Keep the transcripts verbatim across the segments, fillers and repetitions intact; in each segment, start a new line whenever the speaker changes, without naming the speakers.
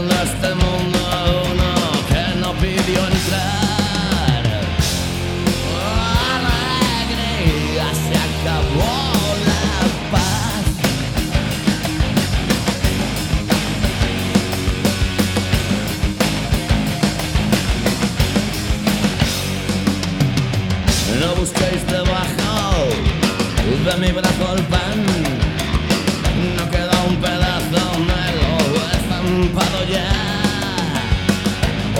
de este mundo uno que no pidió entrar. Alegría, se acabó la paz. No busquéis debajo de mi brazo el pan. No queda un pedazo, me lo he zampado ya.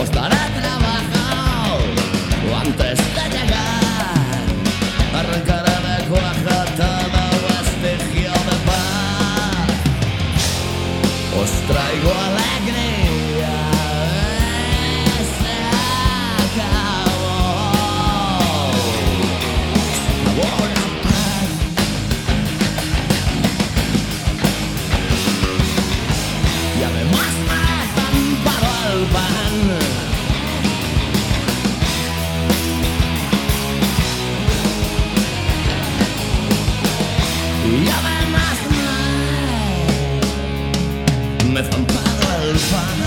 Os daré trabajo antes de llegar. Arrancaré de cuaja todo vestigio de paz. Os traigo alegría. Se acabó. Se acabó la paz. Y además me he zampado el pan. Y además me, me he zampado el pan.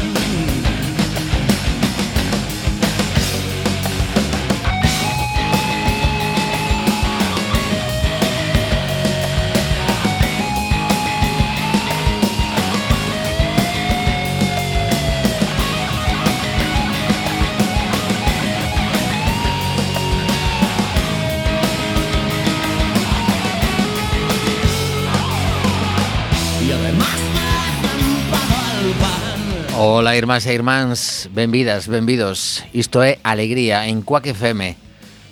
Y además me he zampado el pan.
Ola, irmás e irmáns, benvidas, benvidos. Isto é Alegría en Quack F M.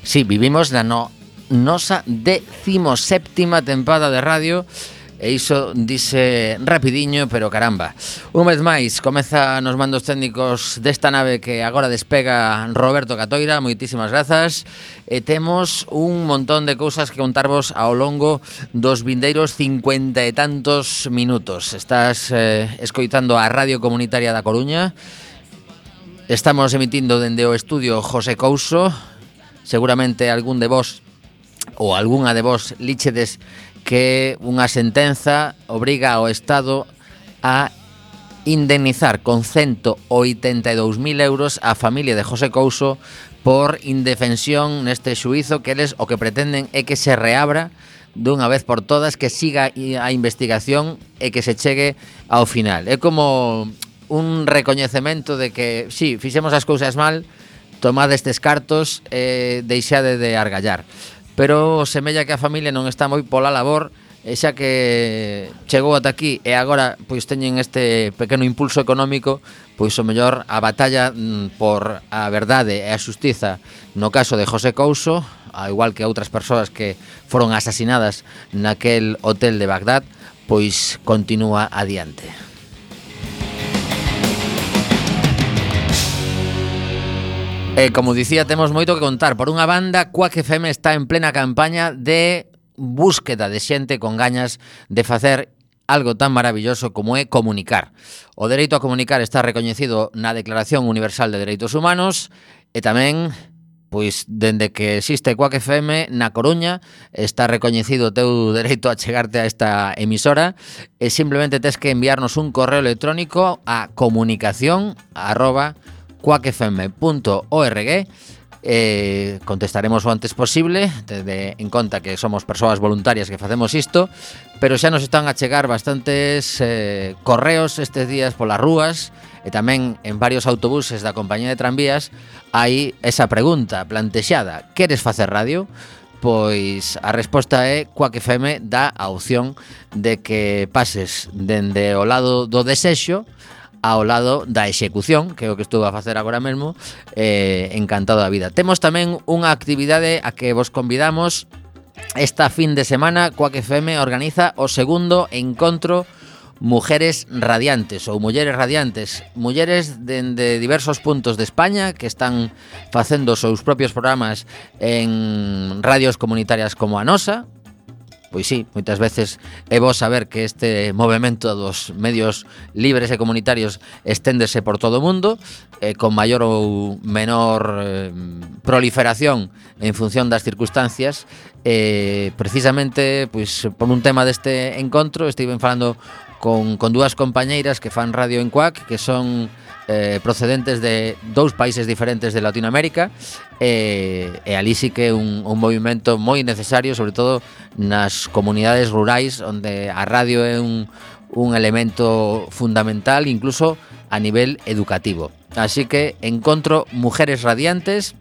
Si, sí, vivimos na no, nosa decimoséptima tempada de radio. E iso dice rapidiño, pero caramba. Un vez máis, comeza nos mandos técnicos desta nave que agora despega Roberto Catoira. Moitísimas grazas. E temos un montón de cousas que contarvos ao longo dos vindeiros cincuenta e tantos minutos. Estás eh, escoitando a Radio Comunitaria da Coruña. Estamos emitindo dende o estudio José Couso. Seguramente algún de vos ou algunha de vos líchedes que unha sentenza obriga ao Estado a indemnizar con ciento oitenta e dous mil euros a familia de José Couso por indefensión neste xuízo, que eles o que pretenden é que se reabra dunha vez por todas, que siga a investigación e que se chegue ao final. É como un recoñecemento de que, si, sí, fixemos as cousas mal, tomad estes cartos e deixade de argallar. Pero semella que a familia non está moi pola labor, e xa que chegou ata aquí e agora pois teñen este pequeno impulso económico, pois o mellor a batalla por a verdade e a xustiza no caso de José Couso, ao igual que outras persoas que foron asasinadas naquel hotel de Bagdad, pois continúa adiante. E como dicía, temos moito que contar. Por unha banda, Quack F M está en plena campaña de búsqueda de xente con gañas de facer algo tan maravilloso como é comunicar. O dereito a comunicar está recoñecido na Declaración Universal de Dereitos Humanos e tamén, pois, dende que existe Quack F M na Coruña, está recoñecido o teu dereito a chegarte a esta emisora e simplemente tes que enviarnos un correo electrónico a comunicación arroba quack f m punto org. Eh, contestaremos o antes posible, tende en conta que somos persoas voluntarias que facemos isto, pero xa nos están a chegar bastantes eh, correos estes días polas rúas e tamén en varios autobuses da compañía de tranvías. Hai esa pregunta plantexada: queres facer radio? Pois a resposta é Quack F M dá a opción de que pases dende o lado do desexo ao lado da execución, que é o que estou a facer agora mesmo, eh, encantado da vida. Temos tamén unha actividade a que vos convidamos. Esta fin de semana Quack F M organiza o segundo encontro Mujeres Radiantes ou Mulleres Radiantes, mulleres dende diversos puntos de España que están facendo os seus propios programas en radios comunitarias como a nosa. Pois sí, moitas veces é bo saber que este movimento dos medios libres e comunitarios esténdese por todo o mundo, eh, con maior ou menor eh, proliferación en función das circunstancias. Eh, precisamente, pois, por un tema deste encontro, estiven falando con, con dúas compañeiras que fan radio en Cuac, que son eh, procedentes de dous países diferentes de Latinoamérica, e, e ali sí que é un, un movimento moi necesario, sobre todo nas comunidades rurais, onde a radio é un, un elemento fundamental, incluso a nivel educativo. Así que encontro Mujeres Radiantes.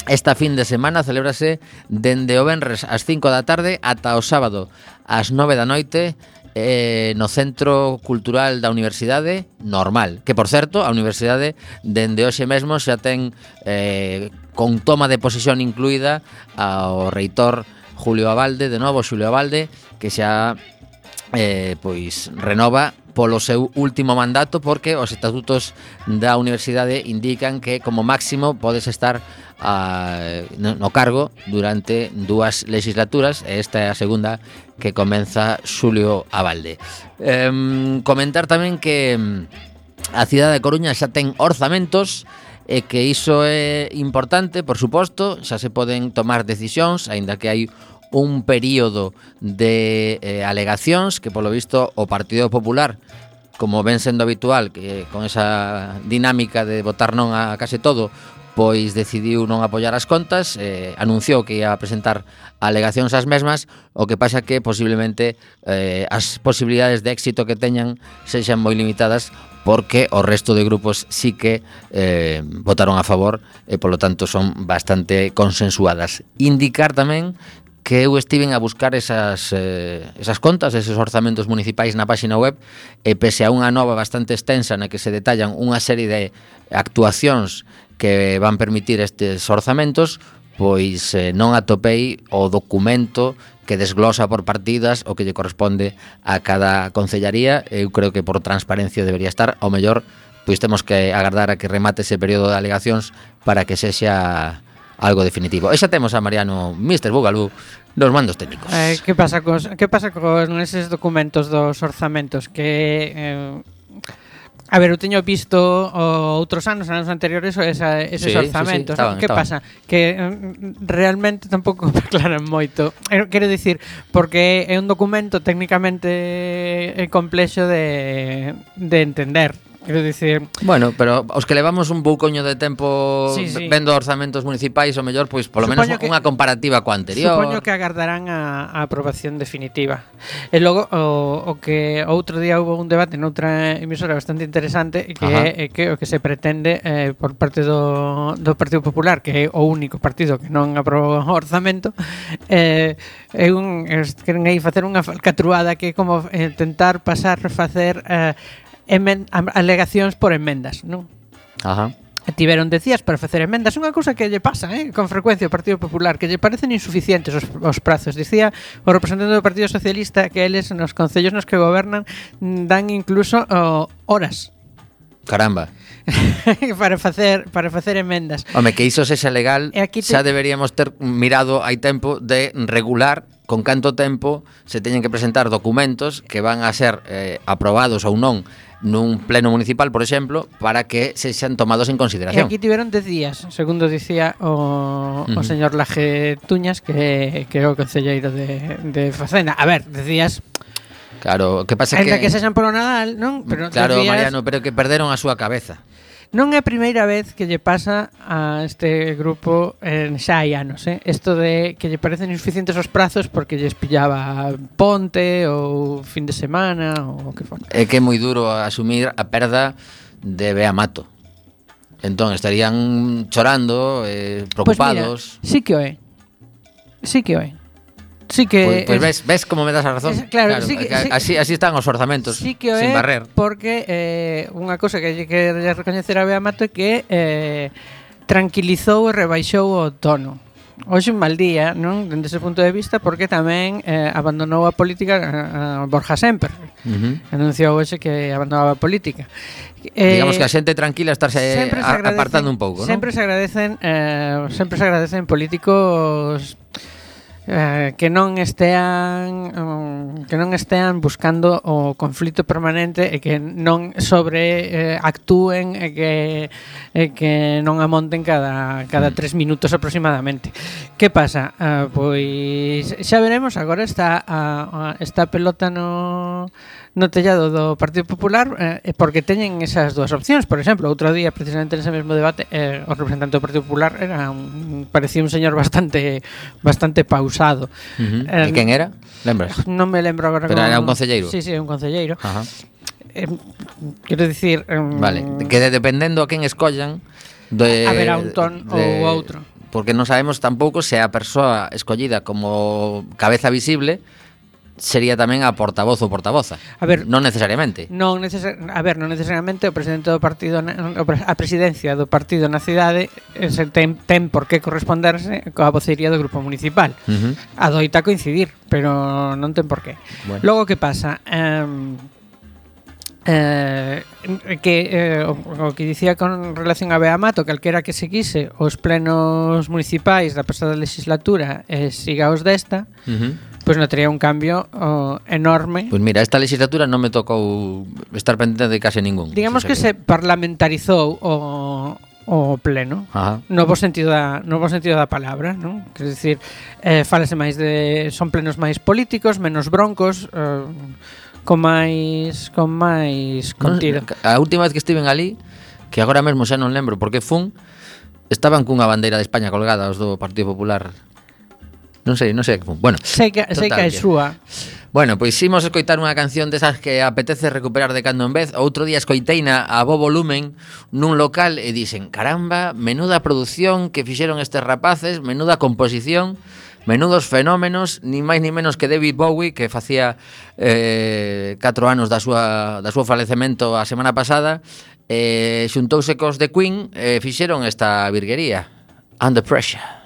Esta fin de semana celébrase dende o venres ás cinco da tarde ata o sábado ás nove da noite eh, no Centro Cultural da Universidade Normal, que por certo, a Universidade dende hoxe mesmo xa ten eh, con toma de posesión incluída ao reitor Julio Abalde, de novo Xulio Abalde, que xa eh, pois renova polo seu último mandato, porque os estatutos da universidade indican que como máximo podes estar a, no, no cargo durante dúas legislaturas, e esta é a segunda que comeza Xulio Abalde. Eh, comentar tamén que a cidade de Coruña xa ten orzamentos, e que iso é importante, por suposto, xa se poden tomar decisións, aínda que hai un período de eh, alegacións que polo visto o Partido Popular, como ven sendo habitual, que con esa dinámica de votar non a case todo, pois decidiu non apoiar as contas, eh, anunciou que ia presentar alegacións ás mesmas, o que pasa que posiblemente eh, as posibilidades de éxito que teñan sexan moi limitadas, porque o resto de grupos sí que eh, votaron a favor e polo tanto son bastante consensuadas. Indicar tamén que eu estiven a buscar esas, eh, esas contas, eses orzamentos municipais na páxina web, e pese a unha nova bastante extensa na que se detallan unha serie de actuacións que van permitir estes orzamentos, pois eh, non atopei o documento que desglosa por partidas o que lle corresponde a cada concellaría. Eu creo que por transparencia debería estar, ao mellor pois temos que agardar a que remate ese período de alegacións para que sexa algo definitivo. E xa temos a Mariano mister Bugalú nos mandos técnicos.
Eh, que pasa cos que pasa con eses documentos dos orzamentos que eh, a ver, eu teño visto o, outros anos, anos anteriores, esa, eses
sí,
orzamentos.
Sí, sí, estaban,
que
estaban.
pasa? Que mm, realmente tampouco me aclaran moito. Eh, Quero dicir, porque é un documento técnicamente complexo de, de entender. Quero dicir...
Bueno, pero os que levamos un poucoño de tempo
sí, sí.
vendo orzamentos municipais, o mellor, pois polo
Supoño
menos
que,
unha comparativa coa anterior.
Supoño que agardarán a, a aprobación definitiva. E logo, o, o que outro día hubo un debate noutra emisora bastante interesante, que
Ajá.
é que o que se pretende eh, por parte do, do Partido Popular, que é o único partido que non aprobou o orzamento, eh, é un, es, queren aí facer unha falcatruada que é como eh, tentar pasar, facer... Eh, Emen, alegacións por enmendas, non?
Ajá.
Tiveron decías para facer enmendas, unha cousa que lle pasa, eh, con frecuencia ao Partido Popular, que lle parecen insuficientes os, os prazos. Dicía o representante do Partido Socialista que eles nos concellos nos que gobernan dan incluso oh, horas.
Caramba.
para facer para facer emendas.
Home, que iso sexa legal,
te...
xa deberíamos ter mirado hai tempo de regular con canto tempo se teñen que presentar documentos que van a ser eh, aprobados ou non nun pleno municipal, por exemplo, para que se xan tomados en consideración.
E aquí tiveron dez días, segundo dicía o, uh-huh. o señor Laje Tuñas, que, que é o concelleiro de, de Facenda. A ver, decías...
Claro, que pasa
que...
que...
que sexan polo Nadal, non?
Pero claro,
decías...
Mariano, pero que perderon a súa cabeza.
Non é a primeira vez que lle pasa a este grupo en xa hai anos, eh? Isto de que lle parecen insuficientes os prazos porque lles pillaba ponte ou fin de semana ou o que for.
É que é moi duro asumir a perda de Bea Mato. Entón estarían chorando, eh, preocupados.
Pues mira, sí que o é. Sí que o é. Sí que
Pois pues, pues ves, ves como me das a razón.
Es, claro, claro sí que, sí,
así, así están os orzamentos,
sí que
sin
é,
barrer.
Porque eh, unha cousa que hai que recoñecer a Bea Mato é que eh, tranquilizou e rebaixou o tono. Hoxe un mal día, non? Dende ese punto de vista, porque tamén eh, abandonou a política a, a Borja Semper. Uh-huh. Anunciou hoxe que abandonaba a política.
Eh, Digamos que a xente tranquila estarse a, apartando un pouco, non?
Sempre se agradecen, eh, sempre se agradecen políticos Eh, que non estean um, que non estean buscando o conflito permanente e que non sobre eh, actúen e que e que non amonten cada cada tres minutos aproximadamente. Que pasa? Uh, pois xa veremos, agora está a, a, está a pelota no no tellado do Partido Popular eh, porque teñen esas dúas opcións. Por exemplo, outro día, precisamente nese mesmo debate, eh, o representante do Partido Popular era un, parecía un señor bastante bastante pausado.
Uh-huh.
Eh,
E quen era? Lembras?
Non me lembro agora.
Pero
con...
era un concelleiro?
Sí, sí, un concelleiro.
Ajá.
Eh, quero dicir... Um...
Vale, que de, dependendo a quen escollan de,
haberá un ton
de,
ou outro.
Porque non sabemos tampouco se a persoa escollida como cabeza visible sería tamén a portavoz ou portavoza.
A ver,
non necesariamente.
Non necesar, a ver, non necesariamente o presidente do partido, a presidencia do partido na cidade se ten, ten por que corresponderse coa vocería do grupo municipal.
Uh-huh.
Adoita coincidir, pero non ten por qué.
Bueno.
Logo, que pasa? Um, eh, que eh, o, o que dicía con relación a Beamato, calquera que seguise os plenos municipais da pasada legislatura e siga os desta,
Uh-huh.
pois pues notaría un cambio oh, enorme.
Pois pues mira, esta legislatura non me tocou estar pendente de case ningún.
Digamos que se parlamentarizou o o pleno.
Ajá.
No bo sentido da no bo sentido da palabra, non? Quer dicir, eh falase máis de son plenos máis políticos, menos broncos, eh, con máis con máis contido.
Non, a última vez que estiven ali, que agora mesmo xa non lembro porque fun, estaban cunha bandeira de España colgada os do Partido Popular. Non sei, non sei que fun. Bueno,
sei que sei que é súa.
Bueno, pois imos escoitar unha canción desas que apetece recuperar de cando en vez. Outro día escoiteina a bo volumen nun local e dixen, caramba, menuda produción que fixeron estes rapaces, menuda composición, menudos fenómenos, ni máis ni menos que David Bowie, que facía eh, catro anos da súa, da súa falecemento a semana pasada, eh, xuntouse cos de Queen e eh, fixeron esta virguería, Under Pressure.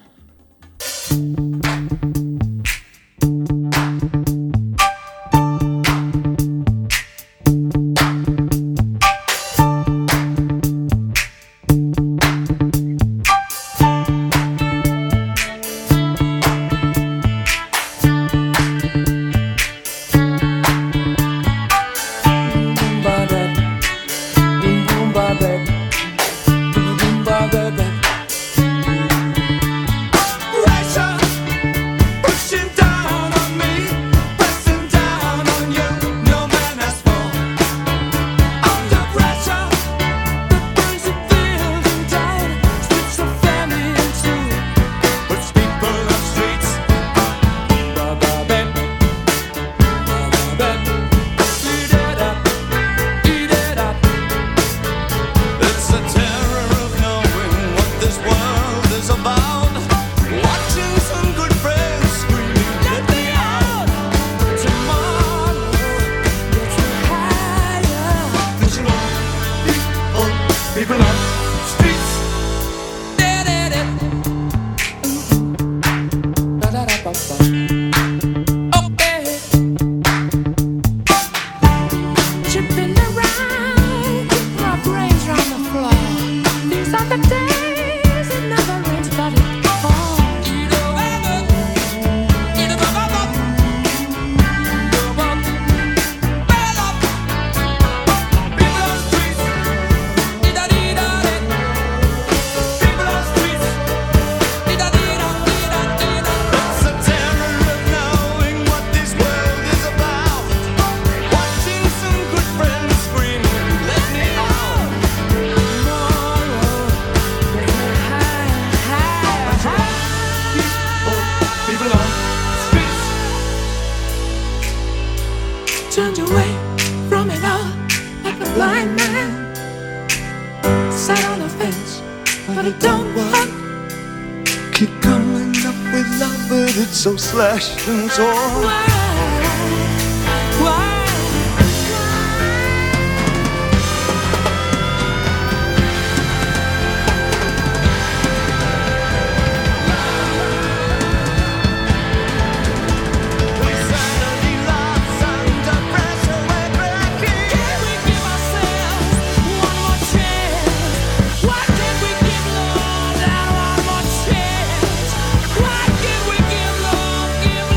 Turned away from it all like a blind man. Sat on a fence, but it don't work.
Keep coming up with love, but it's so slashed and torn.
Why? Why?
Give love, give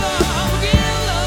love.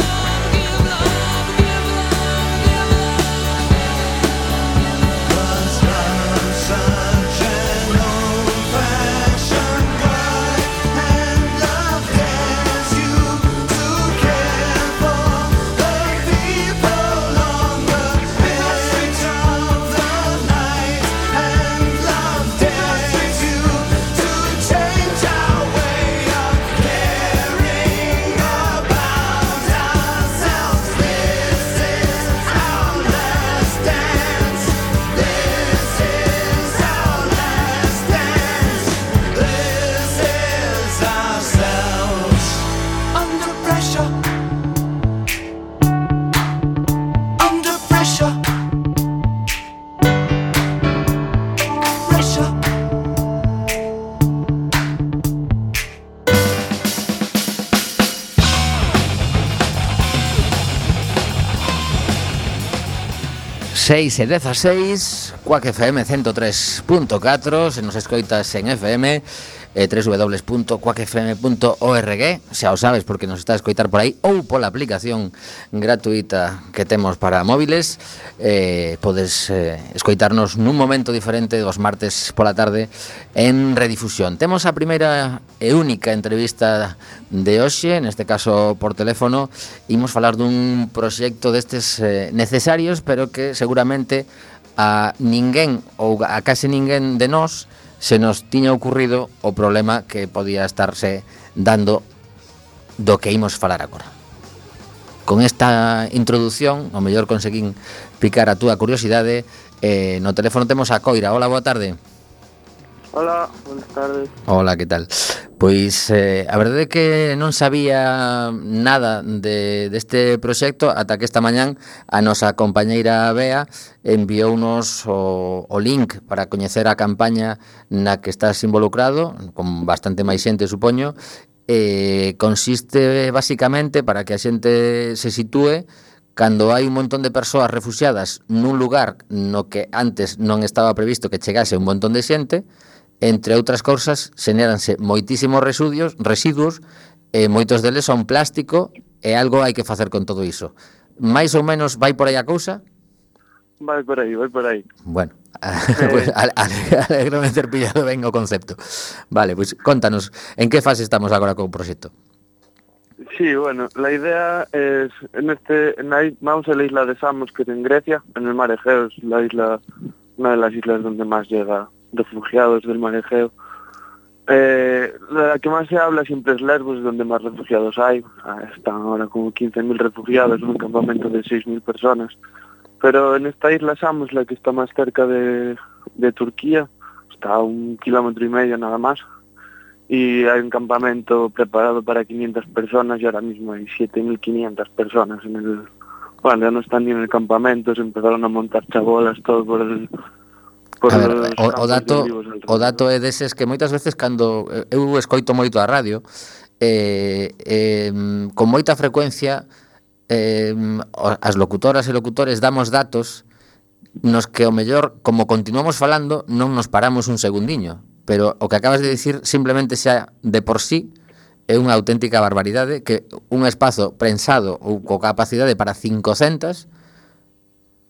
seis e dezaseis, Quack F M ciento tres punto catro, se nos escoitas en F M, eh, w w w punto quack f m punto org, xa o sabes porque nos está a escoitar por aí, ou pola aplicación gratuita que temos para móviles. eh, podes eh, escoitarnos nun momento diferente dos martes pola tarde en redifusión. Temos a primeira e única entrevista de hoxe, neste caso por teléfono. Imos falar dun proxecto destes eh, necesarios, pero que seguramente a ninguén ou a case ninguén de nós se nos tiña ocurrido o problema que podía estarse dando do que imos falar agora. Con esta introdución, ao mellor conseguín picar a túa curiosidade. eh, No teléfono temos a Coira. Hola, boa tarde.
Hola, buenas tardes.
Hola, que tal? Pois eh, a verdade é que non sabía nada de, deste proxecto ata que esta mañán a nosa compañeira Bea enviounos o, o link para coñecer a campaña na que estás involucrado, con bastante máis xente, supoño. eh, Consiste basicamente, para que a xente se sitúe, cando hai un montón de persoas refuxiadas nun lugar no que antes non estaba previsto que chegase un montón de xente. Entre outras cousas, xenéranse moitísimos residuos, residuos e moitos deles son plástico, e algo hai que facer con todo iso. Mais ou menos vai por aí a cousa?
Vai por aí, vai por aí.
Bueno, pues, alegrome ter pillado ben o concepto. Vale, pois pues, contanos, en que fase estamos agora co proxecto?
Sí, bueno, la idea es, en este, en la, vamos a la isla de Samos, que es en Grecia, en el mar Egeo, es la isla, una de las islas donde más llega refugiados del mar Egeo. Eh, la que más se habla siempre es Lesbos, es donde más refugiados hay. Están ahora como quince mil refugiados en un campamento de seis mil personas. Pero en esta isla Samos, la que está más cerca de, de Turquía, está a un kilómetro y medio nada más. Y hay un campamento preparado para quinientas personas y ahora mismo hay siete mil quinientas personas en el... Bueno, ya no están ni en el campamento, se empezaron a montar chabolas, todo por el...
A ver, o, o dato o dato é deses que moitas veces cando eu escoito moito a radio, eh, eh, con moita frecuencia eh, as locutoras e locutores damos datos nos que o mellor, como continuamos falando, non nos paramos un segundiño, pero o que acabas de dicir simplemente xa de por sí é unha auténtica barbaridade, que un espazo prensado ou co capacidade para cincocentas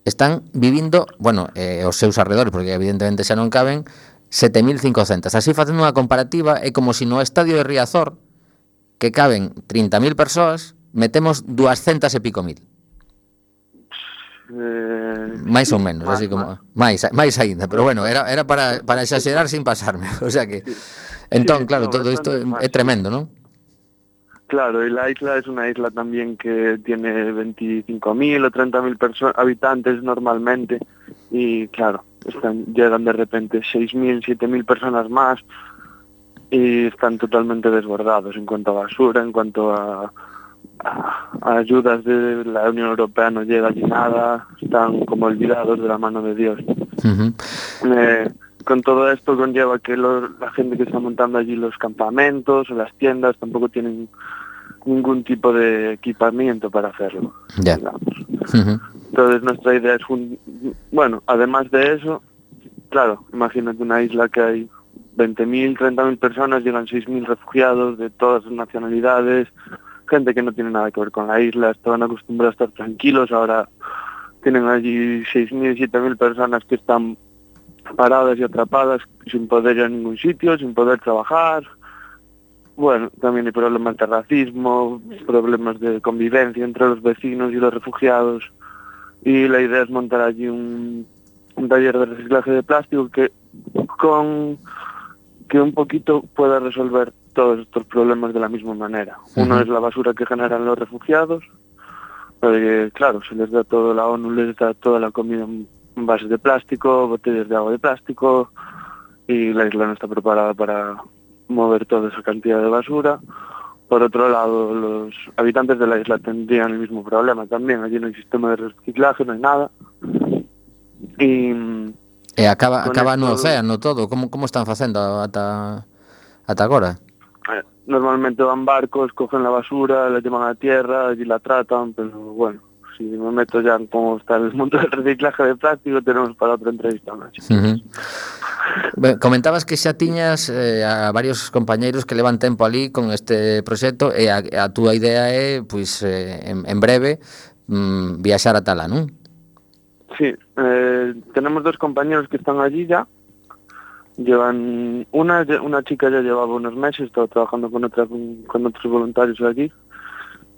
están vivindo, bueno, eh, os seus arredores, porque evidentemente xa non caben, sete mil cincocentas. Así, facendo unha comparativa, é como se no estadio de Riazor, que caben trinta mil persoas, metemos duascentas e pico mil.
Eh,
máis
sí,
ou menos,
más,
así como
más.
máis máis aínda, pero bueno, era era para para exagerar sin pasarme, o sea que entón,
Sí,
claro,
no,
todo isto
bastante
é
más,
tremendo, ¿no?
Claro, y la isla es una isla también que tiene veinticinco mil o treinta mil habitantes normalmente y claro, están, llegan de repente seis mil, siete mil personas más y están totalmente desbordados en cuanto a basura, en cuanto a, a, a ayudas de la Unión Europea no llega allí nada, están como olvidados de la mano de Dios.
Uh-huh.
Eh, con todo esto conlleva que lo, la gente que está montando allí los campamentos o las tiendas tampoco tienen ningún tipo de equipamiento para hacerlo,
Ya.
digamos.
Uh-huh.
Entonces nuestra idea es, un, bueno, además de eso, claro, imagínate una isla que hay veinte mil, treinta mil personas, llegan seis mil refugiados de todas las nacionalidades, gente que no tiene nada que ver con la isla, estaban acostumbrados a estar tranquilos, ahora tienen allí seis mil, siete mil personas que están paradas y atrapadas sin poder ir a ningún sitio, sin poder trabajar. Bueno, también hay problemas de racismo, problemas de convivencia entre los vecinos y los refugiados. Y la idea es montar allí un, un taller de reciclaje de plástico que con que un poquito pueda resolver todos estos problemas de la misma manera. Uh-huh. Uno es la basura que generan los refugiados, porque claro, se les da todo, la ONU les da toda la comida en base de plástico, botellas de agua de plástico, y la isla no está preparada para mover toda esa cantidad de basura. Por otro lado, los habitantes de la isla tendrían el mismo problema también. Allí no hay sistema de reciclaje, no hay nada. Y,
e acaba acaba
esto,
no océano todo. Como como están facendo ata ata agora?
Eh, normalmente van barcos, cogen la basura, la llevan a tierra, allí la tratan, pero bueno, si me meto ya en cómo está el mundo del reciclaje de plástico, tenemos para otra entrevista máis.
Uh-huh. Ben, comentabas que xa tiñas eh, a varios compañeiros que levan tempo ali con este proxecto e a, a túa idea é, pois, eh, en, en breve mm, viaxar a Tala, non?
Sí, eh, tenemos dos compañeros que están allí ya. Llevan una una chica ya llevaba unos meses, estaba trabajando con otra con, con otros voluntarios allí.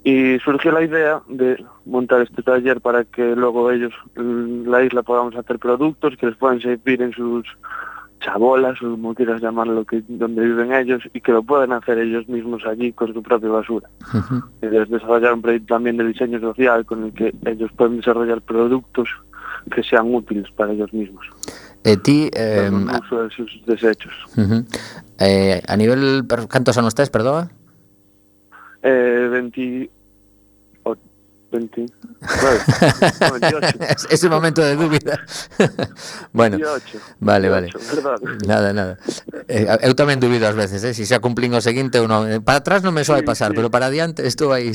Y surgió la idea de montar este taller para que luego ellos, la isla, podamos hacer productos que les puedan servir en sus chabolas, o como quieras llamarlo, que donde viven ellos, y que lo puedan hacer ellos mismos allí con su propia basura. Uh-huh. Y desarrollar un proyecto también de diseño social con el que ellos pueden desarrollar productos que sean útiles para ellos mismos.
E ti... Eh,
el uso de sus desechos.
Uh-huh. eh, a nivel... Cantos anos tes, perdoa?
Eh, veinte... veinte... No, veintiocho.
Es un momento de dúbida. Bueno,
veintiocho,
vale,
veintiocho,
vale.
Verdad.
Nada, nada. Eh, eu tamén dubido ás veces, eh, si xa cumplín o seguinte ou non. Para atrás non me soe
Sí,
pasar,
sí.
pero para adiante estou aí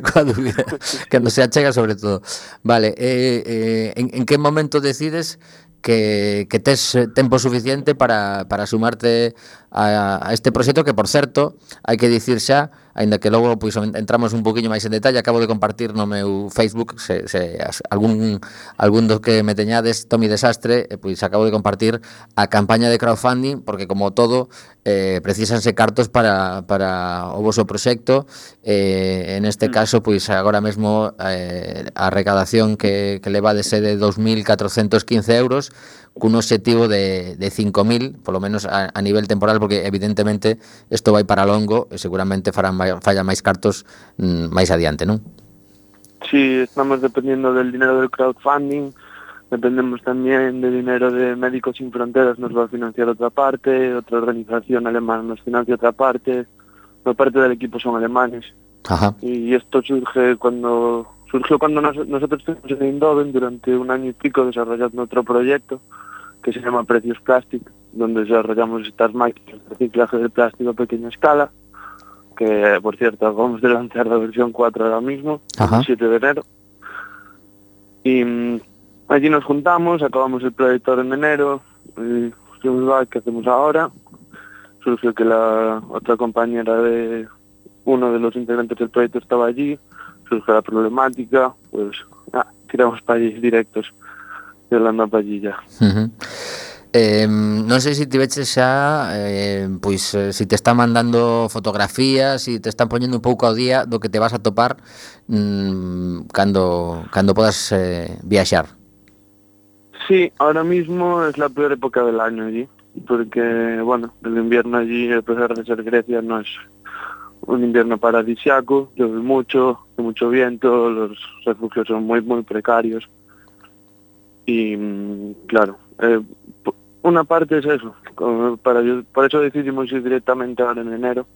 coa dúbida. Cando se achega, sobre todo. Vale, eh, eh, en, en que momento decides que, que tes tempo suficiente para, para sumarte a, a este proxecto que, por certo, hai que dicir xa, aínda que logo pois, entramos un poquinho máis en detalle, acabo de compartir no meu Facebook, se, se algún, algún dos que me teñades, Tomi Desastre, pois acabo de compartir a campaña de crowdfunding, porque como todo, eh, precisanse cartos para, para o voso proxecto, eh, en este caso, pois agora mesmo eh, a recadación que, que levades é de dos mil catrocentos quince euros, cun obxectivo de, de cinco mil, polo menos a, a nivel temporal, porque evidentemente isto vai para longo e seguramente farán falla máis cartos mm, máis adiante, non?
Sí, estamos dependiendo del dinero del crowdfunding, dependemos también de dinero de Médicos Sin Fronteras, nos va a financiar otra parte, otra organización alemana nos financia otra parte, una parte del equipo son alemanes.
Ajá.
Y esto surge cuando surgió cuando nos, nosotros estuvimos en Eindhoven durante un año y pico desarrollando otro proyecto que se llama Precios Plastic, donde desarrollamos estas máquinas de reciclaje de plástico a pequeña escala, que por cierto acabamos de lanzar la versión cuatro ahora mismo,
Ajá.
el siete de enero. Y um, allí nos juntamos, acabamos el proyecto en enero, y dijimos, ¿qué hacemos ahora? Surgió que la otra compañera de uno de los integrantes del proyecto estaba allí, surgió la problemática, pues ah, tiramos para allí directos, y hablando para allí ya.
Uh-huh. Eh, non sei se tiveches xa eh, pois eh, se te están mandando fotografías, se te están poñendo un pouco ao día do que te vas a topar mmm, cando, cando podas eh, viaxar.
Sí, ahora mismo es la peor época del año allí, porque bueno, el invierno allí, a pesar de ser Grecia, no es un invierno paradisiaco, llueve mucho, hay mucho viento, los refugios son muy muy precarios y claro, eh, una parte es eso, para, por eso decidimos ir directamente ahora en enero,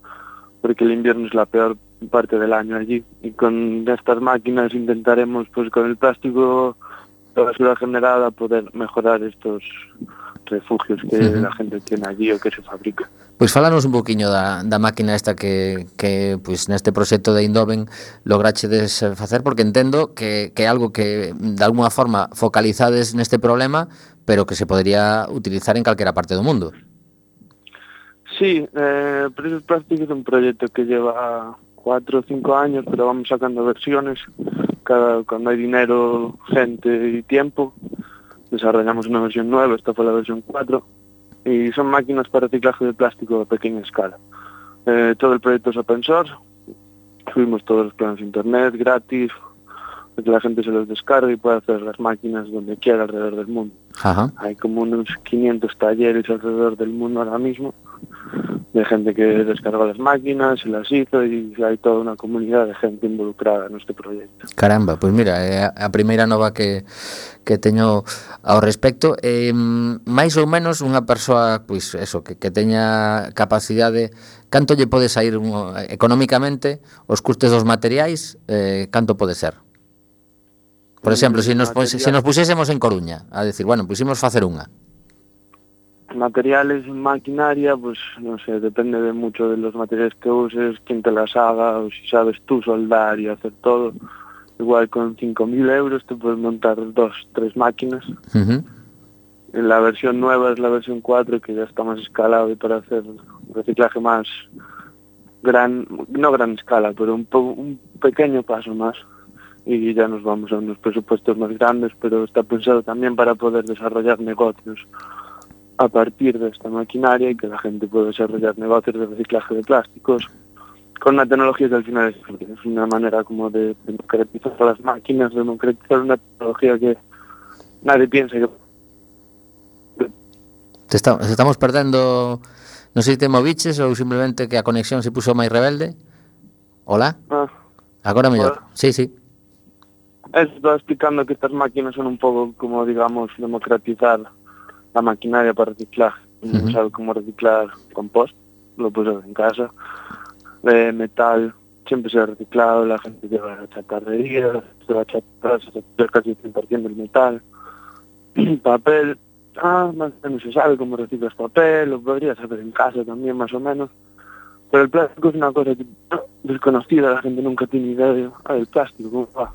porque el invierno es la peor parte del año allí y con estas máquinas intentaremos pues con el plástico, la basura generada, poder mejorar estos refugios que uh-huh. la gente tiene allí o que se fabrica.
Pois falanos un poquinho da, da máquina esta que, que pois, neste proxecto de Eindhoven lograchedes facer, porque entendo que, que é algo que de alguna forma focalizades neste problema, pero que se podría utilizar en calquera parte do mundo.
Sí, eh, Precios Plastic es un proyecto que lleva cuatro o cinco años, pero vamos sacando versiones. Cada, cuando hay dinero, gente y tiempo, desarrollamos una versión nueva, esta fue la versión cuatro, y son máquinas para reciclaje de plástico a pequeña escala. Eh, todo el proyecto es open source, subimos todos los planos a internet, gratis, para que la gente se los descargue y pueda hacer las máquinas donde quiera alrededor del mundo.
Ajá.
Hay como unos quinientos talleres alrededor del mundo ahora mismo, de gente que descargó las máquinas, se las hizo y hay toda una comunidad de gente involucrada en este proyecto.
Caramba, pois mira, é a primeira nova que, que teño ao respecto. Eh, máis ou menos unha persoa, pois eso, que, que teña capacidade, canto lle pode sair un, económicamente os custes dos materiais, eh, canto pode ser? Por exemplo, se nos, se nos pusésemos en Coruña a decir, bueno, pusimos facer unha.
Materiales, maquinaria, pues no sé, depende de mucho de los materiales que uses, quién te las haga, o si sabes tú soldar y hacer todo, igual con cinco mil euros te puedes montar dos, tres máquinas.
Uh-huh.
La versión nueva es la versión cuatro, que ya está más escalado y para hacer reciclaje más gran, no gran escala, pero un, po, un pequeño paso más. Y ya nos vamos a unos presupuestos más grandes, pero está pensado también para poder desarrollar negocios a partir de esta maquinaria y que la gente pueda desarrollar negocios de reciclaje de plásticos con una tecnología que al final es, es una manera como de democratizar las máquinas, democratizar una tecnología que nadie piensa que...
Te está, estamos perdendo, non sei se te moviches ou simplemente que a conexión se puso máis rebelde. Hola?
Ah,
Agora mellor.
Hola.
Sí, sí.
Estaba explicando que estas máquinas son un poco como, digamos, democratizar la maquinaria para reciclar. Uh-huh. No sabe cómo reciclar compost, lo puedes hacer en casa. De metal siempre se ha reciclado, la gente lleva a chatarrería, se va a chatar, se va casi el cien por ciento del metal. Papel, ah, más o menos se sabe cómo reciclas papel, lo podrías hacer en casa también más o menos. Pero el plástico es una cosa que, no, desconocida, la gente nunca tiene idea de, ah, el plástico, ¿cómo va?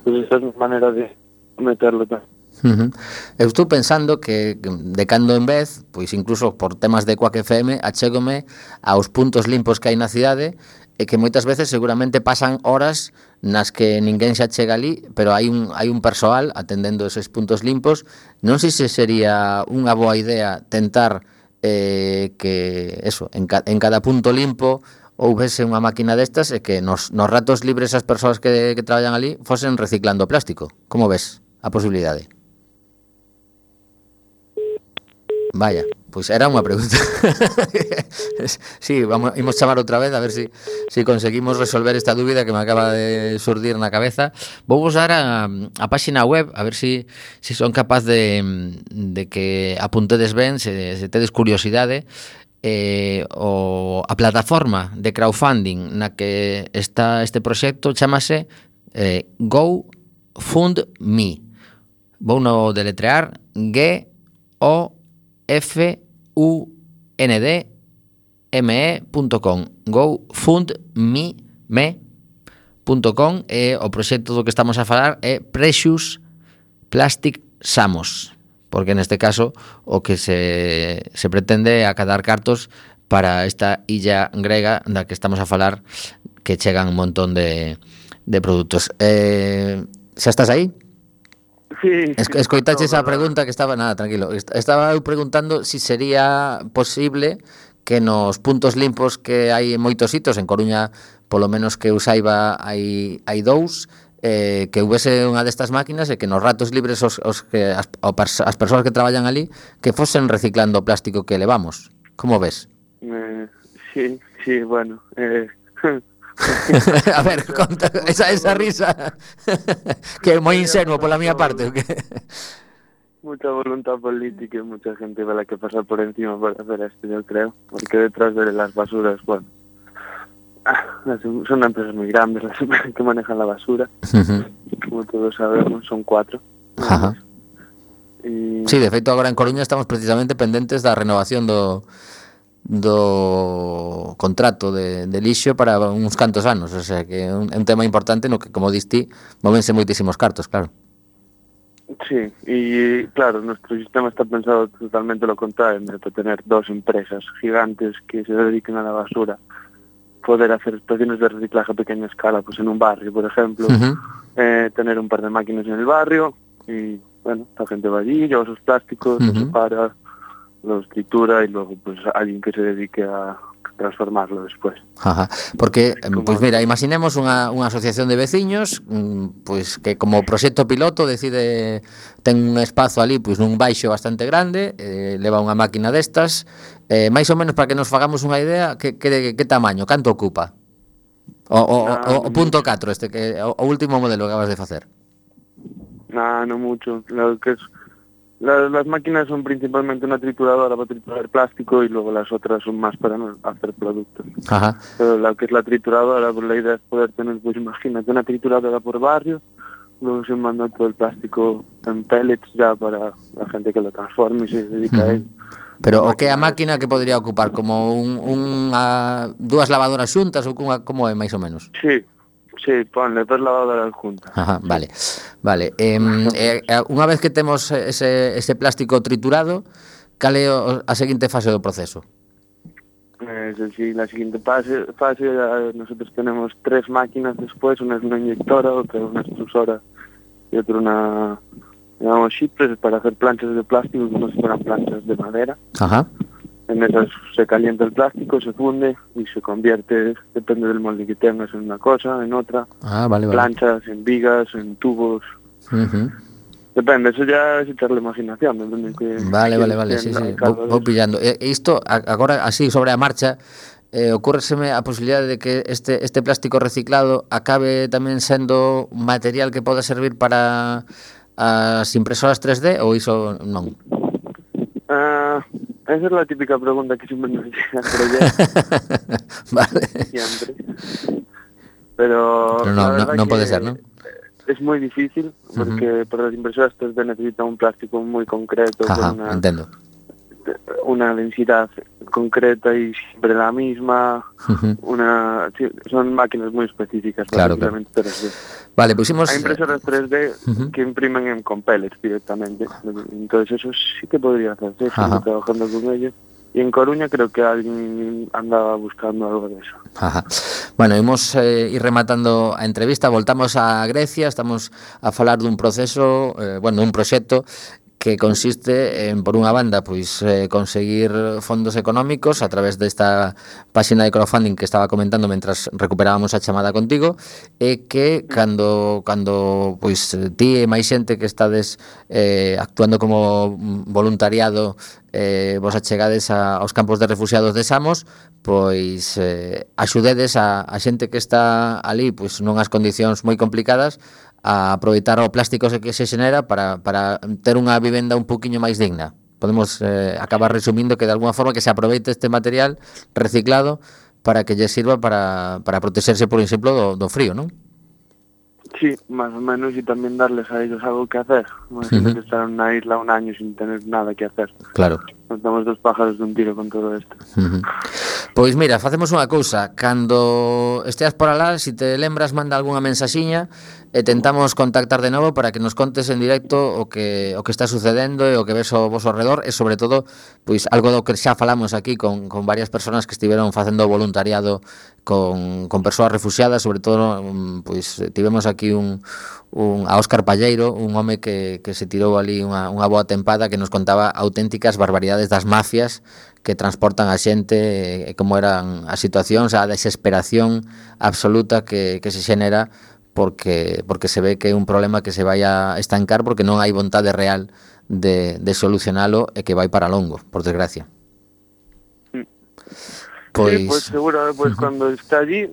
Pues esa es una manera de meterlo tamén.
Uh-huh. Eu estou pensando que de cando en vez, pois incluso por temas de Quack F M, achégome aos puntos limpos que hai na cidade e que moitas veces seguramente pasan horas nas que ninguén se achega ali, pero hai un, hai un persoal atendendo eses puntos limpos. Non sei se sería unha boa idea tentar eh, que, eso, en, ca, en cada punto limpo houvese unha máquina destas e que nos, nos ratos libres as persoas que, que traballan ali fosen reciclando plástico. Como ves a posibilidade? Vaya, pois era unha pregunta. Sí, vamos, imos chamar outra vez a ver si, si conseguimos resolver esta dúbida que me acaba de surdir na cabeza. Vou usar a, a páxina web a ver si, si son capaz de, de que apuntedes ben, se, se tedes curiosidade. Eh, o, a plataforma de crowdfunding na que está este proxecto chamase eh, GoFundMe. Vou no deletrear G O F U N D M E punto com GoFundMe punto com e o proxecto do que estamos a falar é Precious Plastic Samos, porque neste caso o que se, se pretende é acadar cartos para esta illa grega da que estamos a falar, que chegan un montón de, de produtos. Eh, xa estás aí?
Sí,
Es, escoitache esa pregunta que estaba, nada, tranquilo, estaba eu preguntando si sería posible que nos puntos limpos que hai en moitos hitos, en Coruña polo menos que eu saiba hai, hai dous, eh, que houvese unha destas máquinas e que nos ratos libres os, os que as, as persoas que traballan ali que fosen reciclando o plástico que levamos. Como ves?
Eh, sí, sí, bueno, eh...
A ver, conta, esa, esa risa que é moi insenuo pola miña parte.
Mucha voluntad política y mucha gente va la que pasa por encima para hacer esto, yo creo, porque detrás de las basuras, bueno, son empresas muy grandes las que manejan la basura. Uh-huh. Como todos sabemos, son cuatro.
Ajá.
Y...
Sí, de feito agora en Coruña estamos precisamente pendentes da renovación do do contrato de, de lixo para uns cantos anos, o sea que é un, un tema importante no que, como diste, movense moitísimos cartos, claro.
Sí, y claro, nuestro sistema está pensado totalmente lo contrario, de tener dos empresas gigantes que se dediquen a la basura, poder hacer estaciones de reciclaje a pequeña escala, pues en un barrio, por ejemplo, uh-huh. eh, tener un par de máquinas en el barrio y, bueno, la gente va allí, lleva sus plásticos, uh-huh. los separa, los tritura y luego pues alguien que se dedique a transformarlo después.
Ajá. Porque, como... pues mira, imaginemos unha, unha asociación de veciños pues que como proxecto piloto decide, ten un espazo ali pues nun baixo bastante grande, eh, leva unha máquina destas, eh, máis ou menos para que nos fagamos unha idea, que, que, que tamaño, canto ocupa? O, o, no, o, o punto catro, este que o, o último modelo que acabas de facer.
No, no mucho, lo que es Las, las máquinas son principalmente una trituradora para triturar plástico y luego las otras son más para hacer productos.
Ajá.
Pero la que es la trituradora, pues la idea es poder tener, pues imagínate, una trituradora por barrio, luego se manda todo el plástico en pellets ya para la gente que lo transforme y se dedica uh-huh. a ello.
Pero o que a máquina que podría ocupar, como un, un, a, dúas lavadoras xuntas ou como, como é máis ou menos?
Sí, Sí, ponle dos lavadoras juntas.
Ajá, vale. Vale. Eh, eh, unha vez que temos ese, ese plástico triturado, cal é o- a seguinte fase do proceso?
Eh, Es decir, la siguiente fase, fase eh, nosotros tenemos tres máquinas después, una es una inyectora, otra una extrusora y otra una, llamamos shippers para hacer planchas de plástico como si fueran planchas de madera.
Ajá.
En esas se calienta el plástico, se funde y se convierte, depende del molde que tengas, en una cosa, en otra.
Ah, vale, vale.
Planchas, en vigas, en tubos.
Uh-huh.
Depende, eso ya es echarle imaginación. Depende que
Vale, vale,
quieres
vale,
que
sí,
en
sí,
cada
vou,
de
vou
esos.
pillando. E isto, a- agora, así, sobre a marcha, eh, ocúrreseme a posibilidade de que este, este plástico reciclado acabe tamén sendo un material que poda servir para as impresoras tres D ou iso non?
Ah, esa es la típica pregunta que siempre nos llega al proyecto,
Vale.
siempre. Pero,
Pero
la
no, no,
verdad
non pode
que
ser, non?
es muy difícil porque para las impresoras tres D necesitan un plástico muy concreto,
Ajá,
con una,
entendo.
una densidad concreta y siempre la misma.
Ujú.
Una, sí, son máquinas muy específicas
Claro,
para
claro.
tres D.
Vale, pusimos...
Hay impresoras tres D
Ujú.
que imprimen en, con pellets directamente. Entonces eso sí que podría hacerse,
Ajá.
estoy trabajando con ello. Y en Coruña creo que alguien andaba buscando algo de eso.
Ajá. Bueno, imos eh, ir rematando a entrevista. Voltamos a Grecia, estamos a falar dun proceso, eh, bueno, dun proxecto que consiste en, por unha banda, pois eh, conseguir fondos económicos a través desta páxina de crowdfunding que estaba comentando mentras recuperábamos a chamada contigo, e que cando cando pois ti e máis xente que estades eh, actuando como voluntariado eh, vos achegades a, aos campos de refugiados de Samos, pois eh, axudedes a, a xente que está ali pois nunhas condicións moi complicadas a aproveitar o plástico que se xenera para, para ter unha vivenda un poquinho máis digna. Podemos eh, acabar resumindo que de alguna forma que se aproveite este material reciclado para que lle sirva para, para protexerse, por exemplo, do, do frío, non?
Sí, más o menos, y también darles a ellos algo que hacer. Imagínate
Ujú.
estar en una isla un año sin tener nada que hacer.
Claro.
Nos damos dos pájaros de un tiro con todo esto.
Uh-huh. Pois mira, facemos unha cousa. Cando esteas por alá, se si te lembras, manda algunha mensaxiña e tentamos contactar de novo para que nos contes en directo o que o que está sucedendo e o que ves ao vosso alrededor e sobre todo, pois algo do que xa falamos aquí con, con varias persoas que estiveron facendo voluntariado con, con persoas refugiadas, sobre todo pois tivemos aquí un, un a Óscar Palleiro, un home que, que se tirou ali unha, unha boa tempada que nos contaba auténticas barbaridades das mafias que transportan a xente e como eran as situacións, a desesperación absoluta que, que se xenera porque porque se ve que é un problema que se vai a estancar porque non hai vontade real de, de solucionalo e que vai para longo, por desgracia.
Pois... Sí, pues seguro, pues uh-huh. cuando está allí